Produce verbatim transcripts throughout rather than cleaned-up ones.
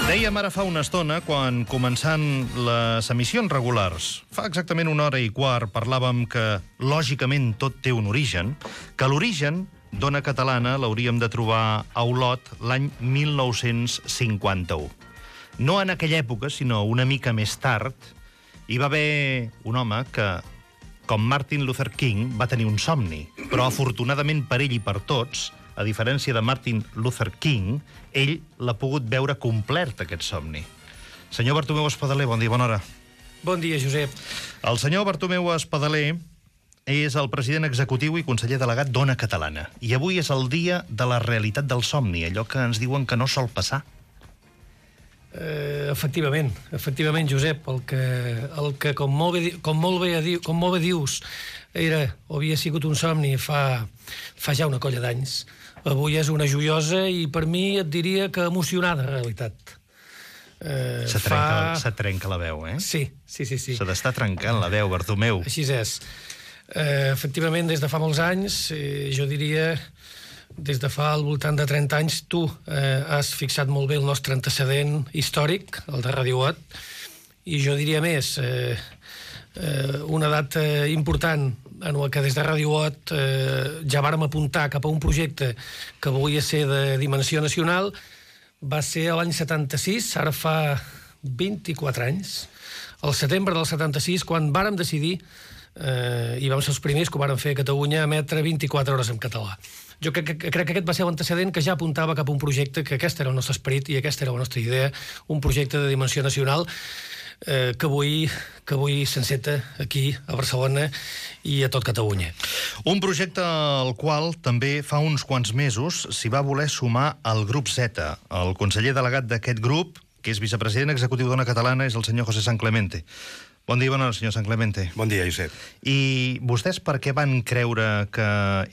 Dèiem ara fa una estona, quan començant les emissions regulars, fa exactament una hora i quart, parlàvem que, lògicament, tot té un origen, que l'origen d'Ona Catalana l'hauríem de trobar a Olot l'any mil nou-cents cinquanta-u. No en aquella època, sinó una mica més tard, hi va haver un home que, com Martin Luther King, va tenir un somni, però afortunadament per ell i per tots, a diferència de Martin Luther King, ell l'ha pogut veure complert, aquest somni. Senyor Bartomeu Espadaler, bon dia, bona hora. Bon dia, Josep. El senyor Bartomeu Espadaler és el president executiu i conseller delegat d'Ona Catalana. I avui és el dia de la realitat del somni, allò que ens diuen que no sol passar. Eh, efectivament, efectivament, Josep, el que, el que com, molt bé, com, molt bé, com molt bé dius, era o havia sigut un somni fa, fa ja una colla d'anys. Avui és una joiosa i per mi et diria que emocionada realitat. Eh, se, trenca, fa... se trenca la veu, eh? Sí, sí, sí. sí. Se t'està trencant la veu, Bartomeu. Així és. Eh, efectivament, des de fa molts anys, eh, jo diria, des de fa al voltant de trenta anys, tu eh, has fixat molt bé el nostre antecedent històric, el de Radio Olot, i jo diria més, eh, eh, una data important en la que des de Radio Olot eh, ja vàrem apuntar cap a un projecte que volia ser de dimensió nacional, va ser l'any setanta-sis, ara fa vint-i-quatre anys, el setembre del setanta-sis, quan vàrem decidir, eh, i vam ser els primers que ho vàrem fer a Catalunya, emetre vint-i-quatre hores en català. Jo crec, crec que aquest va ser l'antecedent que ja apuntava cap a un projecte, que aquest era el nostre esperit i aquesta era la nostra idea, un projecte de dimensió nacional eh, que avui, que avui s'enceta aquí, a Barcelona i a tot Catalunya. Un projecte al qual també fa uns quants mesos s'hi va voler sumar el grup Z. El conseller delegat d'aquest grup, que és vicepresident executiu d'Ona Catalana, és el senyor José San Clemente. Bon dia, bona hora, senyor San Clemente. Bon dia, Josep. I vostès per què van creure que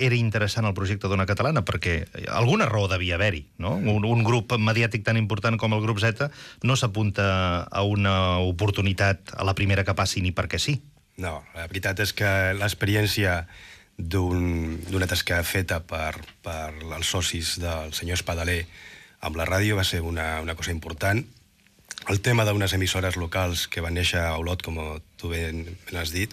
era interessant el projecte d'Ona Catalana? Perquè alguna raó devia haver-hi, no? Un, un grup mediàtic tan important com el grup Z no s'apunta a una oportunitat a la primera que passi ni perquè sí. No, la veritat és que l'experiència d'un, d'una tasca feta per, per els socis del senyor Espadaler amb la ràdio va ser una, una cosa important. El tema d'unes emissores locals que van néixer a Olot, com tu ben, ben has dit,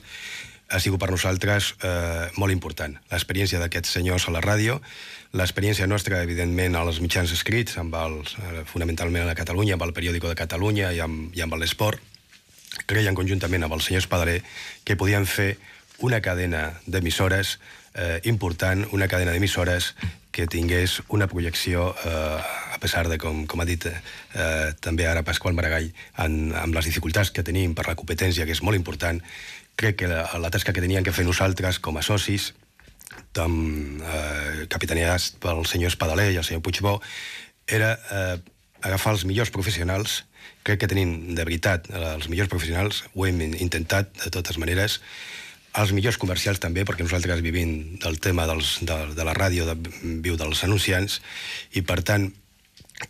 ha sigut per nosaltres eh, molt important. L'experiència d'aquests senyors a la ràdio, l'experiència nostra, evidentment, als mitjans escrits, amb els, eh, fonamentalment a Catalunya, amb el Periòdico de Catalunya i amb, i amb l'Esport, creien conjuntament amb el senyor Espadaler que podien fer una cadena d'emissores eh, important, una cadena d'emissores que tingués una projecció, eh, a pesar de, com, com ha dit eh, també ara Pasqual Maragall, en, amb les dificultats que tenim per la competència, que és molt important, crec que la, la tasca que teníem que fer nosaltres com a socis, amb, eh, capitaneats pel senyor Espadaler i el senyor Puigbó, era eh, agafar els millors professionals. Crec que tenim, de veritat, els millors professionals, ho hem intentat de totes maneres, els millors comercials també, perquè nosaltres vivim del tema dels, de, de la ràdio, de, viu dels anunciants, i per tant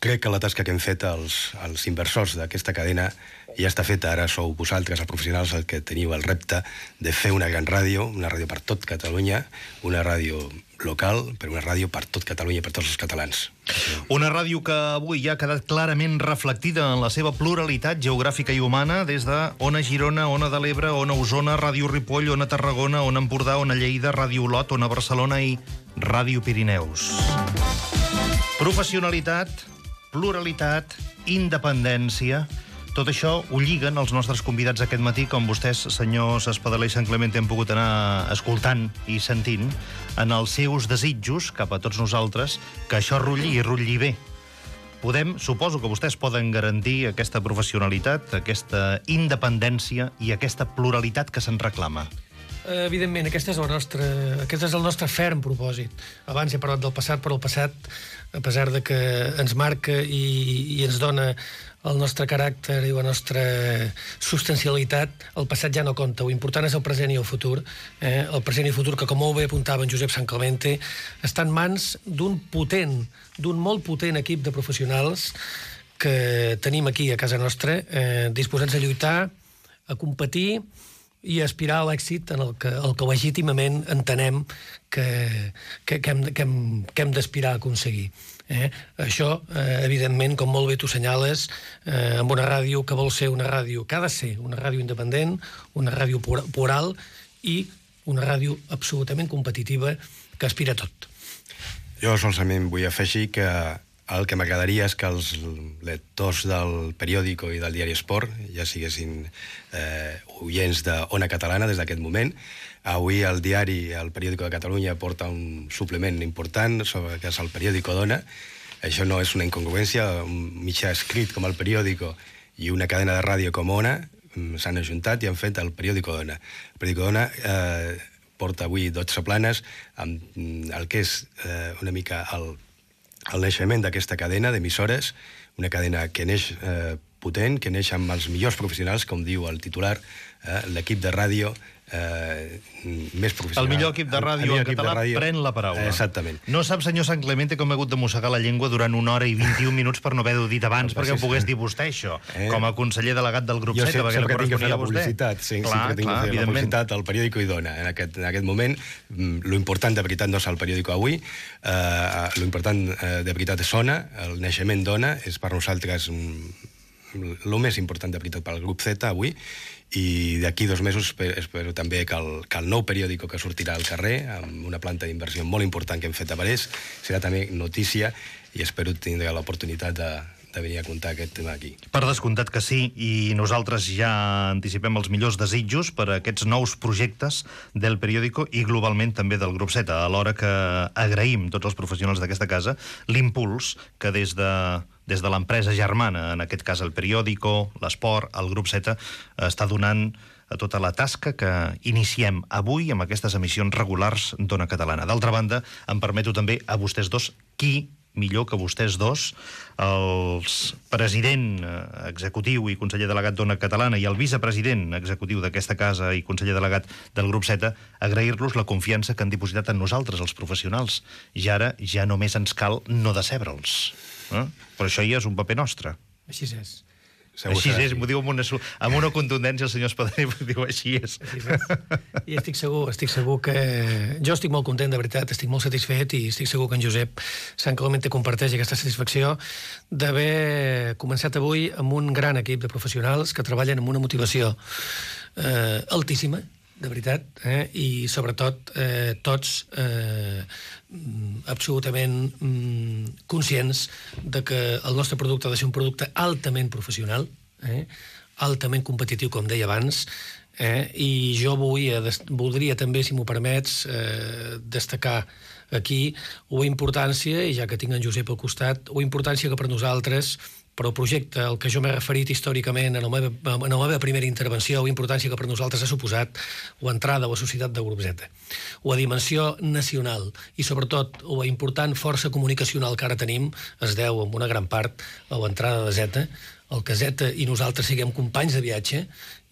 crec que la tasca que hem fet els, els inversors d'aquesta cadena ja està feta. Ara sou vosaltres, els professionals, el que teniu el repte de fer una gran ràdio, una ràdio per tot Catalunya, una ràdio local, però una ràdio per tot Catalunya i per tots els catalans. Una ràdio que avui ja ha quedat clarament reflectida en la seva pluralitat geogràfica i humana, des de Ona Girona, Ona de l'Ebre, Ona Osona, Ràdio Ripoll, Ona Tarragona, Ona Empordà, Ona Lleida, Ràdio Olot, Ona Barcelona i Ràdio Pirineus. Professionalitat, pluralitat, independència... Tot això ho lliguen els nostres convidats aquest matí, com vostès, senyors Espadaler i San Clemente, han pogut anar escoltant i sentint en els seus desitjos cap a tots nosaltres, que això rutlli i rutlli bé. Podem, suposo que vostès poden garantir aquesta professionalitat, aquesta independència i aquesta pluralitat que se'n reclama. Evidentment, aquest és, el nostre, aquest és el nostre ferm propòsit. Abans he parlat del passat, però el passat, a pesar de que ens marca i, i ens dona el nostre caràcter i la nostra substancialitat, el passat ja no compta. Lo important és el present i el futur. Eh? El present i el futur, que com molt bé apuntava en Josep San Clemente, està en mans d'un potent, d'un molt potent equip de professionals que tenim aquí a casa nostra, eh, disposats a lluitar, a competir i aspirar a l'èxit en el que, el que legítimament entenem que, que, que hem, que hem, que hem d'aspirar a aconseguir. Eh? Això, eh, evidentment, com molt bé tu senyales, eh, amb una ràdio que vol ser una ràdio, que ha de ser una ràdio independent, una ràdio plural i una ràdio absolutament competitiva que aspira a tot. Jo solament vull afegir que el que m'agradaria és que els lectors del periòdico i del diari Esport ja siguessin eh, oients d'Ona Catalana des d'aquest moment. Avui el diari, el periòdico de Catalunya, porta un suplement important sobre que és el periòdico d'Ona. Això no és una incongruència, un mitjà escrit com el periòdico i una cadena de ràdio com Ona s'han ajuntat i han fet el periòdico d'Ona. El periòdico d'Ona eh, porta avui dotze planes amb el que és eh, una mica el el naixement d'aquesta cadena d'emissores, una cadena que neix eh, potent, que neix amb els millors professionals, com diu el titular, eh, l'equip de ràdio eh, més professional. El millor equip de ràdio en català ràdio... pren la paraula. Exactament. No sap, senyor Sant Clemente, com he hagut de mossegar la llengua durant una hora i vint-i-un minuts per no haver-ho dit abans, no, perquè ho pogués dir vostè, això, eh? com a conseller delegat del grup jo Z, sé, perquè no corresponia a vostè. Publicitat, sí, clar, sí que tinc clar, que fer la publicitat al periòdico i dona. En aquest, en aquest moment, lo important de veritat no és el periòdico avui, eh, lo important eh, de veritat és Ona, el naixement d'Ona és per nosaltres el més important de veritat pel grup Z avui, i d'aquí dos mesos espero, espero també que el, que el nou periòdico que sortirà al carrer, amb una planta d'inversió molt important que hem fet a Parés, serà també notícia i espero tindre l'oportunitat de, de venir a contar aquest tema aquí. Per descomptat que sí, i nosaltres ja anticipem els millors desitjos per a aquests nous projectes del periòdico i globalment també del grup Z, alhora que agraïm tots els professionals d'aquesta casa l'impuls que des de des de l'empresa germana, en aquest cas el periòdico, l'esport, el grup Z, està donant a tota la tasca que iniciem avui amb aquestes emissions regulars d'Ona Catalana. D'altra banda, em permeto també a vostès dos, qui millor que vostès dos, el president executiu i conseller delegat d'Ona Catalana i el vicepresident executiu d'aquesta casa i conseller delegat del grup Z, agrair-los la confiança que han dipositat en nosaltres, els professionals. I ara ja només ens cal no decebre'ls. Eh? Però això ja és un paper nostre. Així és. Segur així és, m'ho diu amb una, amb una contundència el senyor Espadaler, m'ho diu així és. Així és. I estic segur, estic segur que... Jo estic molt content, de veritat, estic molt satisfet i estic segur que en Josep Sant Clemente comparteix aquesta satisfacció d'haver començat avui amb un gran equip de professionals que treballen amb una motivació eh, altíssima, de veritat, eh? I sobretot eh, tots eh, absolutament mm, conscients de que el nostre producte ha de ser un producte altament professional, eh? altament competitiu, com deia abans, eh? I jo vull, eh, voldria també, si m'ho permets, eh, destacar aquí la importància, i ja que tinc en Josep al costat, la importància que per nosaltres, però el projecte al que jo m'he referit històricament en la, meva, en la meva primera intervenció, la importància que per nosaltres ha suposat l'entrada a la societat del grup Z, la dimensió nacional i sobretot la important força comunicacional que ara tenim es deu en una gran part a l'entrada de Z, el que Z i nosaltres siguem companys de viatge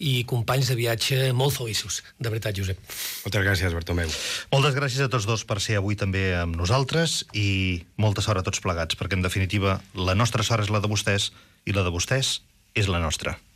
i companys de viatge molt feliços. De veritat, Josep. Moltes gràcies, Bartomeu. Moltes gràcies a tots dos per ser avui també amb nosaltres i molta sort a tots plegats, perquè en definitiva la nostra sort és la de vostès i la de vostès és la nostra.